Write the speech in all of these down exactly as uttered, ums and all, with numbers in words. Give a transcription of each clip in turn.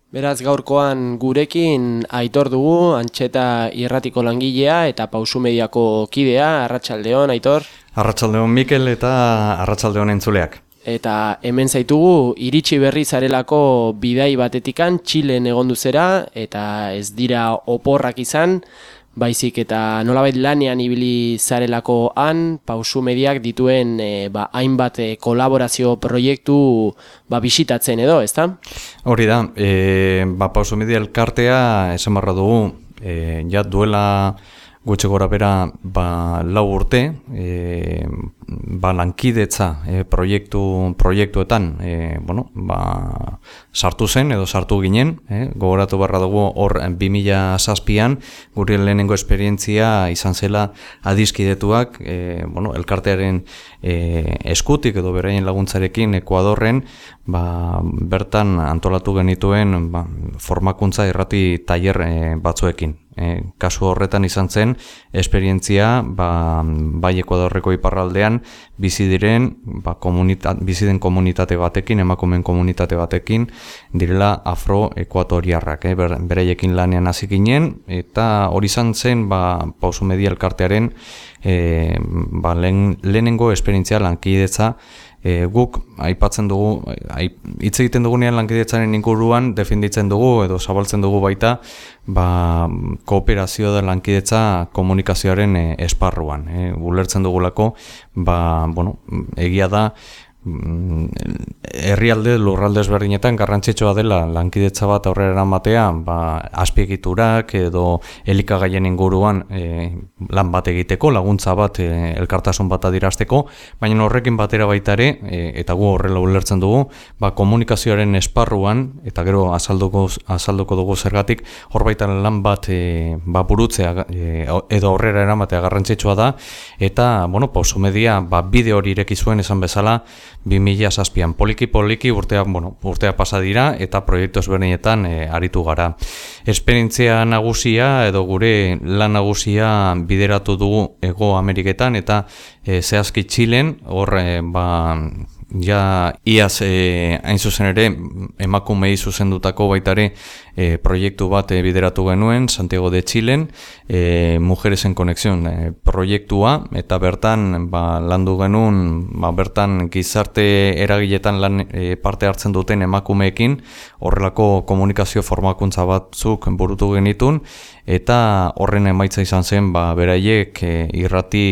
Beraz gaurkoan gurekin Aitor dugu, Antxeta irratiko langilea eta Pausu Mediako kidea. Arratsaldeon, Aitor. Arratsaldeon, Mikel, eta arratsaldeon entzuleak. Eta hemen zaitugu iritsi berri zarelako bidai batetikan Txilen egondu zera, eta ez dira oporrak izan, baizik eta nolabait lanean ibili zarelako han, Pausu Mediak dituen e, ba, hainbat e, kolaborazio proiektu ba, bisitatzen edo, ezta? Hori da, e, ba, Pausu Media elkartea esan barra dugu, e, ja duela gutxi gora bera ba, lau urte, e, ba, lankidetza e, proiektu, proiektuetan e, bueno, ba, sartu zen edo sartu ginen, e, gogoratu barra dugu hor bi mila zazpian gure lehenengo esperientzia izan zela adiskidetuak e, bueno, elkartearen e, eskutik edo beraien laguntzarekin Ekuadorren ba, bertan antolatu genituen ba, formakuntza irrati tailer e, batzuekin. E, kasu horretan izan zen esperientzia ba, bai Ekuadorreko iparraldean bizi diren ba, komunita, bizi den komunitate batekin, emakumeen komunitate batekin direla afro-ekuatoriarrak, eh? Ber, beraiekin lanean hasi ginen, eta hori izan zen ba, Pausu Media elkartearen e, ba, lehen, lehenengo esperientzia lankidetza. E, guk aipatzen dugu, hitz egiten dugunean lankidetzaren inguruan defenditzen dugu edo zabaltzen dugu baita ba, kooperazio da lankidetza komunikazioaren e, esparruan. E, ulertzen dugulako, ba, bueno, egia da herrialde lurralde ezberdinetan garrantzitsua dela lankidetza bat aurrera eramatea, ba, azpiegiturak edo elikagaien inguruan e, lan bat egiteko, laguntza bat e, elkartasun bat adirazteko, baina horrekin batera baita ere, e, eta gu horrela ulertzen dugu, ba, komunikazioaren esparruan, eta gero azalduko, azalduko dugu zergatik, hor baita lan bat e, ba, burutzea e, edo aurrera eramatea garrantzitsua da, eta bueno, Pausu Media ba, bide hori ireki zuen esan bezala, bi mila zazpian poliki-poliki urtea, bueno, urtea pasa dira eta proiektu ezberdinetan e, aritu gara. Esperientzia nagusia edo gure lan nagusia bideratu dugu Hego Ameriketan eta e, zehazki Txilen, hor e, ba, ja iaz e, hain zuzen ere emakumei zuzendutako baitare e, proiektu bat e, bideratu genuen Santiago de Txilen, e, Mujeres en Conexión e, proiektua, eta bertan ba, landu genuen, ba, bertan gizarte eragiletan lan e, parte hartzen duten emakumeekin horrelako komunikazio formakuntza batzuk burutu genitun, eta horren emaitza izan zen ba, beraiek e, irrati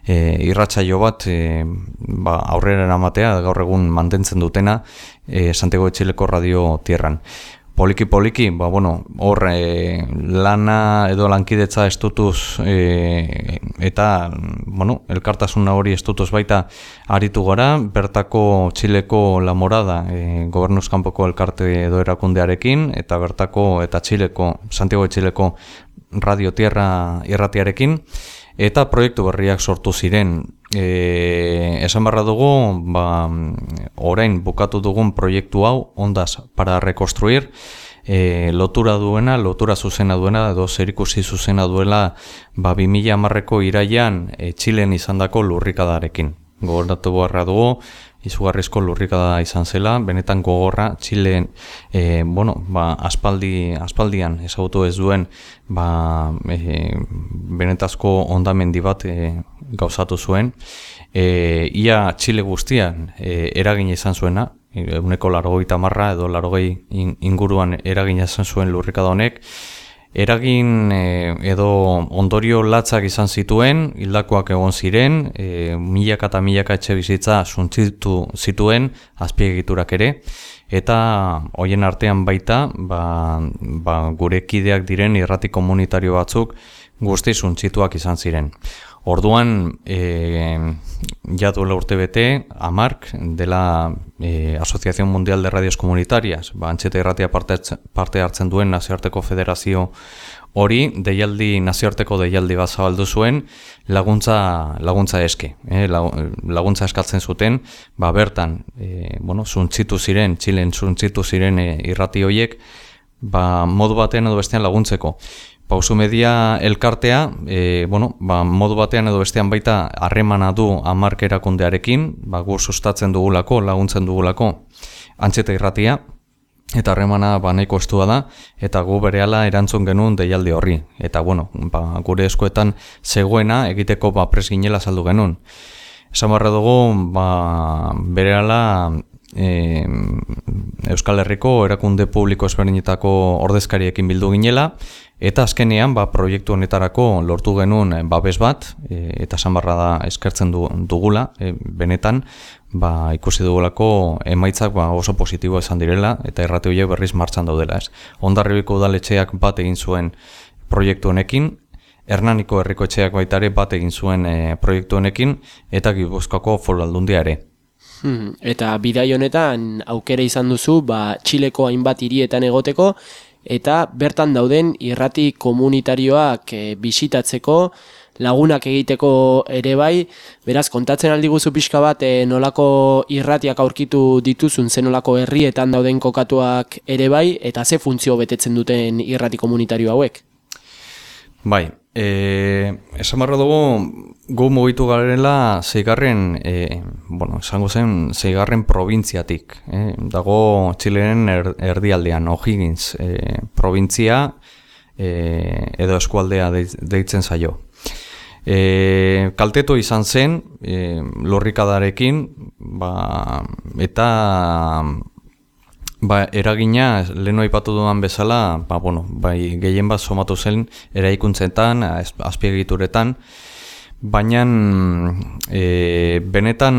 e, irratsaio bat e, ba, aurrera eramatea gaur egun mantentzen dutena e, Santiago de Txileko Radio Tierran. Poliki-poliki, ba, bueno, hor e, lana edo lankidetza estutuz e, eta bueno, elkartasuna hori estutuz baita aritu gara, bertako Txileko La Morada e, gobernuz kanpoko elkarte edo erakundearekin, eta bertako eta Txileko, Santiago de Txileko Radio Tierra irratiarekin, eta proiektu berriak sortu ziren. E, esan barra dugu, ba, orain bukatu dugun proiektu hau, Ondas para Reconstruir, e, lotura duena, lotura zuzena duena, edo zerikusi zuzena duela, ba, bi mila hamarreko iraian e, Txilen izandako lurrikadarekin. Gogoratu beharra dugu, izugarrizko lurrikada izan zela, benetan gogorra, Txilen, e, bueno, ba, aspaldi, aspaldian ezagutu ez duen, ba, e, benetazko hondamendi bat e, gauzatu zuen. E, ia Txile guztian e, eragin izan zuena, ehuneko laurogeita hamar edo laurogei inguruan eragin izan zuen lurrikada honek, eragin e, edo ondorio latzak izan zituen, hildakoak egon ziren, e, milaka eta milaka etxe bizitza suntsitu zituen, azpiegiturak ere, eta hoien artean baita, ba, ba, gure kideak diren irrati komunitario batzuk guzti suntsituak izan ziren. Orduan, e, ja duela urte bete, AMARC, dela e, Asociación Mundial de Radios Comunitarias, ba, Antxeta irratia parte, parte hartzen duen nazioarteko federazio hori, deialdi, nazioarteko deialdi bat zabaldu zuen, laguntza, laguntza eske, eh, laguntza eskatzen zuten, ba, bertan, e, bueno, zuntzitu ziren, Txilen zuntzitu ziren e, irrati horiek, ba, modu batean edo bestean laguntzeko. Pausu Media elkartea, e, bueno, ba, modu batean edo bestean baita harremana du AMARC erakundearekin, ba, gu sustatzen dugulako, laguntzen dugulako Antxeta irratia, eta harremana ba nahiko estua da, eta gu berehala erantzun genuen deialdi horri. Eta bueno, ba, gure eskuetan zegoena egiteko ba prest ginela saldu genuen. Esan barra dugu, ba, berehala e, Euskal Herriko erakunde publiko ezberdinetako ordezkariekin bildu ginela, eta azkenean ba, proiektu honetarako lortu genuen babes bat, e, eta esan barra da eskertzen du, dugula, e, benetan, ba, ikusi dugulako emaitzak ba, oso positibo esan direla, eta irrati horiek berriz martxan daudela. Ez. Hondarribiko udaletxeak bat egin zuen proiektu honekin, Hernaniko herriko etxeak baitare bat egin zuen e, proiektu honekin, eta Gipuzkoako Foru Aldundia ere. Hmm, eta bidai honetan aukera izan duzu ba, Txileko hainbat hirietan egoteko, eta bertan dauden irrati komunitarioak e, bisitatzeko, lagunak egiteko ere bai, beraz, kontatzen aldi guzu pixka bat e, nolako irratiak aurkitu dituzun, zen nolako herrietan dauden kokatuak ere bai, eta ze funtzio betetzen duten irrati komunitario hauek? Bai, e, esan barra dugu, gu mugitu garela zeigarren, e, bueno, esango zen, zeigarren probintziatik. E, dago Txileren er, erdialdean, O'Higgins e, probintzia e, edo eskualdea deitzen zaio. E, kaltetu izan zen, e, lurrikadarekin, ba, eta ba, eragina, lehenu aipatu dudan bezala, ba, bueno, bai, gehien bat somatu zen eraikuntzetan, azpiegituretan, baina e, benetan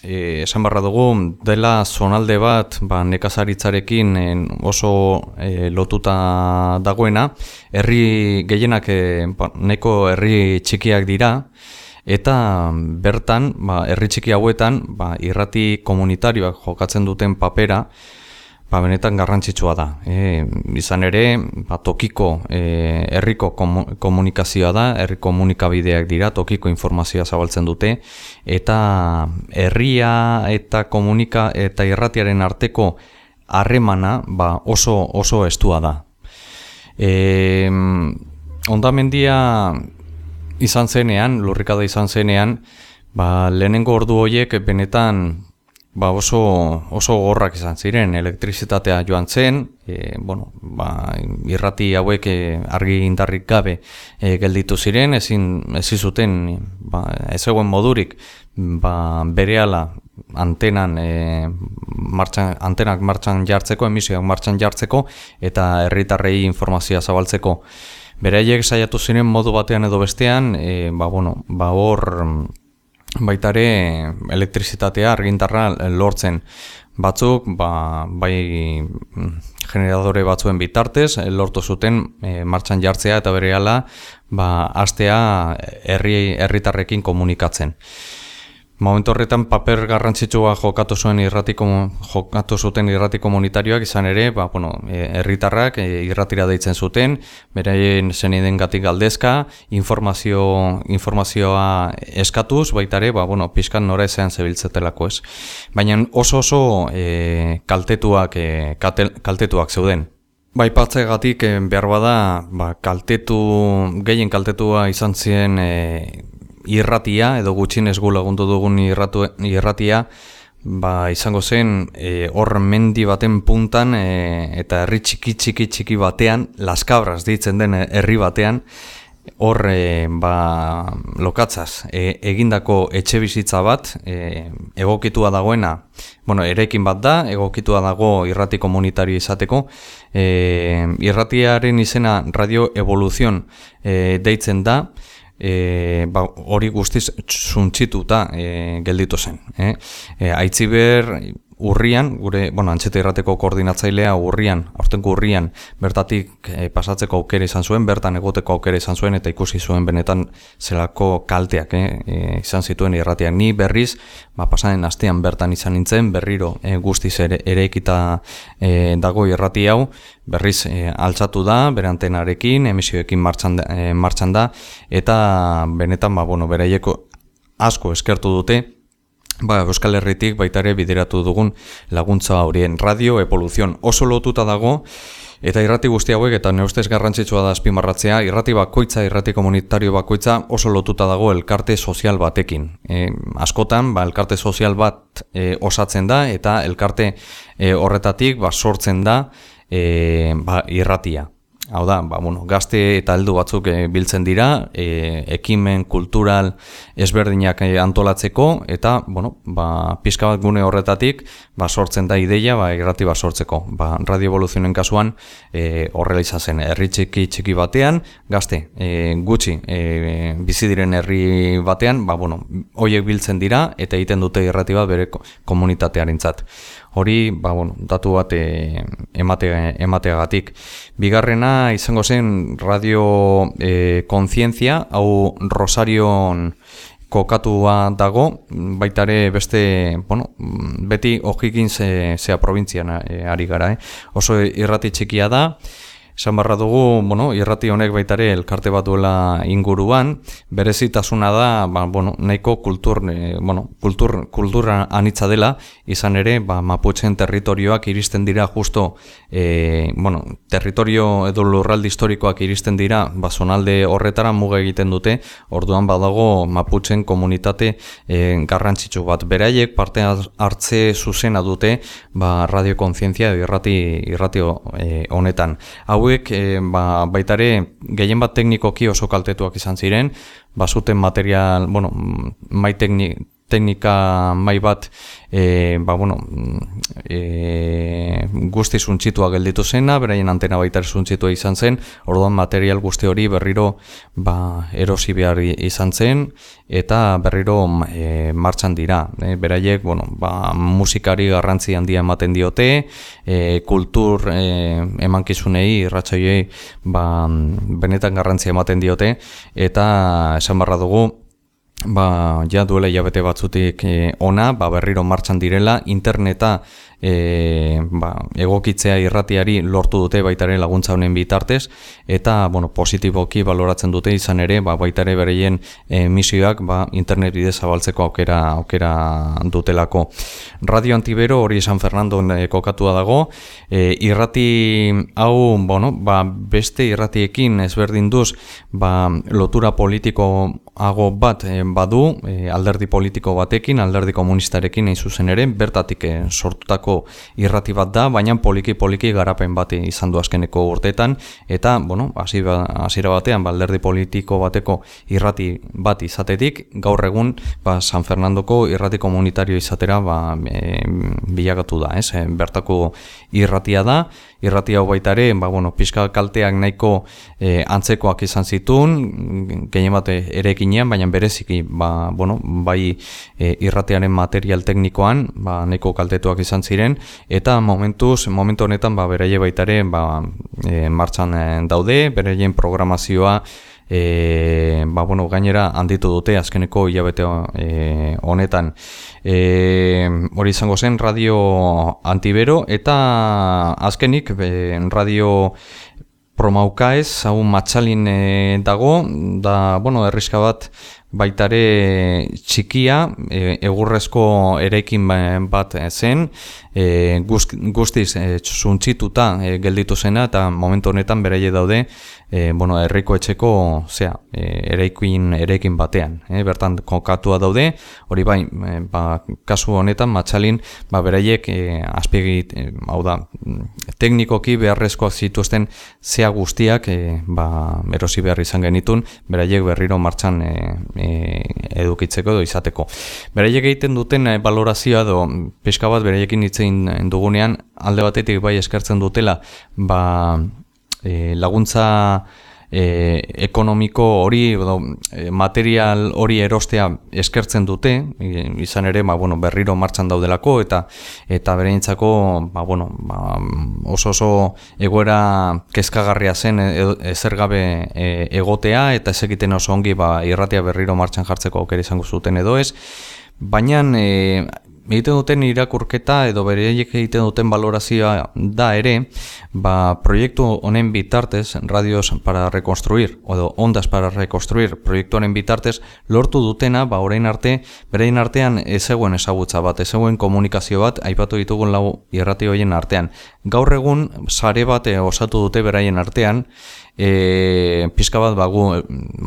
e, esan barra dugu, dela zonalde bat ba, nekazaritzarekin en, oso e, lotuta dagoena, herri gehienak e, ba, neko herri txikiak dira, eta bertan, ba, herri txiki hauetan, ba, irrati komunitarioak jokatzen duten papera, ba, benetan garrantzitsua da. E, izan ere, ba, tokiko e, herriko komunikazioa da, herri komunikabideak dira, tokiko informazioa zabaltzen dute, eta herria eta komunika eta irratiaren arteko harremana ba, oso oso estua da. E, Hondamendia izan zenean, lurrikada izan zenean, ba, lehenengo ordu horiek benetan ba, oso, oso gorrak izan ziren, elektrizitatea joan zen, e, bueno, ba, irrati hauek e, argi indarrik gabe e, gelditu ziren, ezin ezin zuten ba, ez egoen modurik ba, berehala antenan e, martxan, antenak martxan jartzeko, emisioak martxan jartzeko, eta herritarrei informazioa zabaltzeko. Beraiek saiatu ziren modu batean edo bestean, e, ba, bueno, ba, hor baitare elektrizitatea argindarra lortzen. Batzuk, ba, bai generadore batzuen bitartez, lortu zuten e, martxan jartzea eta berehala ba, hastea herri herritarrekin komunikatzen. Momentu horretan paper garrantzitsua jokatu zuen irrati jokatu zuten irrati komunitarioak izan ere, ba bueno, herritarrak e, irratira deitzen zuten, beraien zenidengatik galdezka, informazio informazioa eskatuz, baita ere, ba bueno, pixkan nora ezean zebiltzetelako, ez. Baina oso oso e, kaltetuak e, katel, kaltetuak zeuden. Bai, patzegatik e, behar bada, ba, kaltetu gehien kaltetua izan ziren e, irratia, edo gutxinez gu lagundu dugun irratu, irratia, ba, izango zen e, hor mendi baten puntan e, eta herri txiki txiki txiki batean, Las Cabras deitzen den herri batean, hor e, ba, lokatzaz e, egindako etxe bizitza bat, e, egokitua dagoena, bueno, eraikin bat da, egokitua dago irrati komunitario izateko, e, irratiaren izena Radio Evolución e, deitzen da, E, ba, hori guztiz suntzituta e, gelditu zen. Eh? E, Aitziber urrian, gure, bueno, Antxeta Irrateko koordinatzailea urrian, aurtengo urrian, bertatik e, pasatzeko aukera izan zuen, bertan egoteko aukera izan zuen, eta ikusi zuen benetan zelako kalteak eh? e, izan zituen irratiak. Ni berriz, ba, pasaren astean bertan izan nintzen, berriro e, guztiz ere, ere ekita e, dago irrati hau, berriz e, altzatu da, bere antenarekin, emisioekin martxan, e, martxan da, eta benetan, ba, bueno, beraieko asko eskertu dute, ba, Euskal Herritik baita ere bideratu dugun laguntza horien. Radio Evolución oso lotuta dago Eta irrati guzti hauek, eta nire ustez garrantzitsua da azpimarratzea, irrati bakoitza, irrati komunitario bakoitza oso lotuta dago elkarte sozial batekin. E, askotan, ba, elkarte sozial bat e, osatzen da, eta elkarte e, horretatik ba, sortzen da e, ba, irratia. Hau da, ba, bueno, gazte eta heldu batzuk e, biltzen dira, e, ekimen kultural ezberdinak e, antolatzeko, eta bueno, ba, pixka bat gune horretatik ba, sortzen da ideia ba, irrati bat sortzeko. Ba, Radio Evoluzionen kasuan e, horrela izan zen, herri txiki txiki batean, gazte e, gutxi e, bizi diren herri batean, ba, bueno, horiek biltzen dira eta egiten dute irrati bat bere komunitatearentzat. Hori, ba, bueno, datu bat e, emate, emateagatik. Bigarrena izango zen Radio e, Kontzientzia, hau Rosarion kokatua dago, baitare beste, bueno, beti ojikin ze, zea probintzian e, ari gara, eh? Oso irrati txikia da. Esan barra dugu, bueno, irrati honek baitare elkarte bat duela inguruan, berezitasuna da, ba, bueno, nahiko kultur, eh, bueno, kultur, kultura anitza dela, izan ere, ba, Mapuchen territorioak iristen dira justo, eh, bueno, territorio edo lurralde historikoak iristen dira, ba, zonalde horretara muga egiten dute, orduan badago Mapuchen komunitate eh, garrantzitsu bat. Beraiek parte hartze zuzena dute, ba, Radio Kontzientzia irrati, irrati eh, honetan. Hau E, ba, baitare gehien bat teknikoki oso kaltetuak izan ziren, bazuten material, bueno, mai tekni, teknika mai bat e, ba, bueno, e, guzti zuntzitua gelditu zena, beraien antena baita zuntzitua izan zen, orduan material guzti hori berriro ba, erosi behar izan zen, eta berriro e, martxan dira. E, beraiek, bueno, ba, musikari garrantzi handia ematen diote, e, kultur e, emankizunei, irratsaioei ba, benetan garrantzi ematen diote, eta esan barra dugu, ba, ja duela hilabete batzutik e, ona, ba, berriro martxan direla, interneta e, ba, egokitzea irratiari lortu dute baitare laguntza honen bitartez, eta bueno, positiboki baloratzen dute izan ere, ba, baitare bereien e, misioak ba, internet bidez zabaltzeko aukera, aukera dutelako. Radio Antibero hori San Fernando e, kokatua dago, e, irrati hau, bueno, ba, beste irratiekin ezberdin duz, ba, lotura politikoago bat e, badu, e, alderdi politiko batekin, alderdi komunistarekin hain zuzen ere, bertatik e, sortutako irrati bat da, baina poliki-poliki garapen bat izan du azkeneko urteetan, eta, bueno, hasiera batean, ba, alderdi politiko bateko irrati bat izatetik, gaur egun, ba, San Fernandoko irrati komunitario izatera, ba, e, bilakatu da, ez? E, bertako irratia da, irrati hau baita ere, ba, bueno, pixka kalteak nahiko e, antzekoak izan zituen, gehien bat erekinean, baina bereziki, ba, bueno, bai e, irratiaren material teknikoan, ba, nahiko kaltetuak izan ziren, eta momentuz, momentu honetan, ba, beraie baita ere, ba, e, martxan e, daude, beraien programazioa, E, ba, bueno, gainera handitu dute azkeneko hilabete e, honetan. E, hori izango zen Radio Antibero, eta azkenik e, Radio Promaucaez, hau Matxalin e, dago, da, bueno, erriska bat baitare txikia, e, egurrezko eraikin bat zen, e, guz, guztiz e, zuntzituta e, gelditu zena, eta momentu honetan beraie daude, e, bueno, herriko etxeko zea, e, eraikin, eraikin batean, e, bertan kokatua daude, hori bai, e, ba, kasu honetan Matxalin, ba, beraiek e, azpiegit, e, hau da, teknikoki beharrezkoak zituzten zea guztiak, e, ba, erosi behar izan genitun, beraiek berriro martxan e, e, edukitzeko edo izateko. Beraiek egiten duten e, balorazioa edo pixka bat beraiekin hitzein dugunean, alde batetik bai eskertzen dutela, ba, e, laguntza E, ekonomiko hori, edo, e, material hori erostea eskertzen dute, e, izan ere, ba, bueno, berriro martxan daudelako, eta eta bereintzako, ba, bueno, ba, oso oso egoera kezkagarria zen ezer gabe e, egotea, eta ez egiten oso ongi ba, irratia berriro martxan jartzeko aukera izango zuten edo ez, baina e, egiten duten irakurketa edo beraiek egiten duten valorazioa da ere, ba, proiektu honen bitartez, Radios para Reconstruir, edo Ondas para Reconstruir proiektuaren bitartez, lortu dutena, ba, orain arte, beraien artean ez zegoen ezagutza bat, ez zegoen komunikazio bat, aipatu ditugun lau irrati horien artean. Gaur egun, sare bat osatu dute beraien artean, E, pizka bat bagu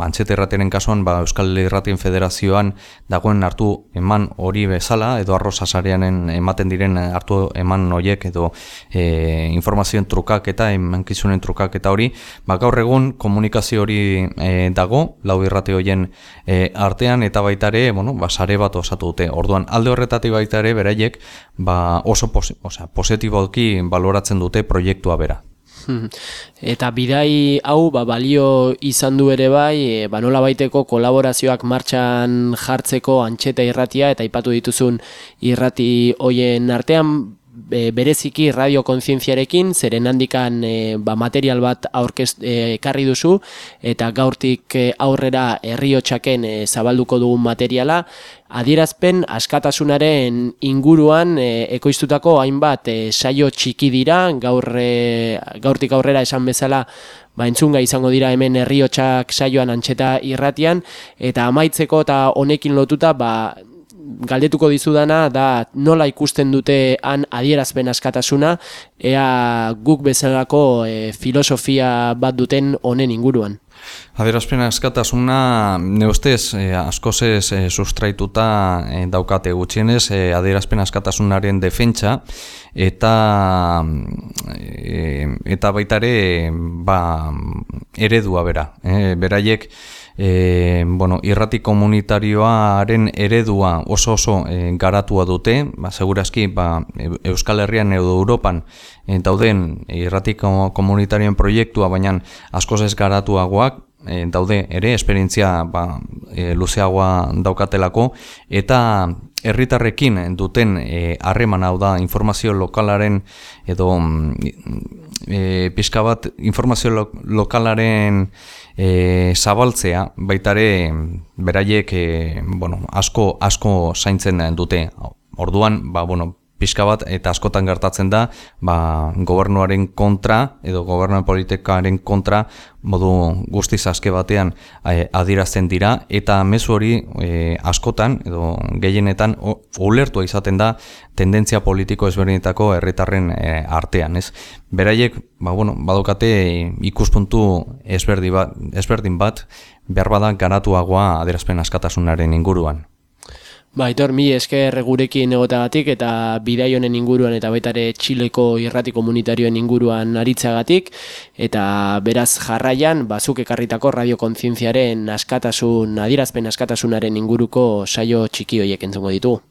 Antxeta irratiaren kasuan ba, Euskal Irratien Federazioan dagoen hartu eman hori bezala edo arroza sareanen ematen diren hartu eman horiek edo e, informazioen trukaketa, emankizunen trukaketa hori, ba, gaur egun komunikazio hori e, dago lau irrati horien e, artean eta baita ere, bueno, ba, sare bat osatu dute. Orduan alde horretatik baita ere beraiek ba, oso posi, osea, positiboki baloratzen dute proiektua bera. Eta bidai hau ba, balio izan du ere bai, e, ba, nola baiteko kolaborazioak martxan jartzeko Antxeta irratia eta aipatu dituzun irrati hoien artean, e, bereziki radio kontzientziarekin, zeren handikan e, ba, material bat aurkest e, ekarri duzu eta gaurtik e, aurrera herriotsaken e, zabalduko dugun materiala, adierazpen askatasunaren inguruan e, ekoiztutako hainbat e, saio txiki dira, gaur, e, gaurtik aurrera esan bezala ba, entzunga izango dira hemen herriotsak saioan Antxeta irratian, eta amaitzeko eta honekin lotuta ba, galdetuko dizudana da nola ikusten dute han adierazpen askatasuna, ea guk bezalako e, filosofia bat duten honen inguruan. Adierazpen askatasuna, ne ustez, eh, askozez eh, sustraituta eh, daukate gutxienez, eh, adierazpen askatasunaren defentsa eta eh, eta baita ere ba, eredua bera. Eh, beraiek E, bueno, irrati komunitarioaren eredua oso oso e, garatua dute, ba, segurazki ba, Euskal Herrian edo Europan e, dauden irrati komunitarioen proiektua, baina askoz ez garatuagoak e, daude ere, esperientzia ba, e, luzeagoa daukatelako, eta herritarrekin duten harreman e, hau da informazio lokalaren edo e, pixka bat informazio lo, lokalaren E, zabaltzea, baitare beraiek e, bueno, asko, asko zaintzen dute. Orduan, ba, bueno, pixka bat eta askotan gertatzen da ba, gobernuaren kontra edo gobernuaren politikaren kontra modu guztiz aske batean e, adierazten dira eta mezu hori e, askotan edo gehienetan ulertua izaten da tendentzia politiko ezberdinetako herritarren e, artean, ez? Beraiek, ba, bueno, badokate ikuspuntu ezberdin bat, ezberdin bat behar bada garatuagoa adierazpen askatasunaren inguruan. Ba, Aitor, mi esker gurekin egotagatik eta bidai honen inguruan eta baita ere Txileko irrati komunitarioen inguruan aritzagatik, eta beraz jarraian, bazuk ekarritako radio kontzientziaren askatasun, adierazpen askatasunaren inguruko saio txiki horiek entzungo ditugu.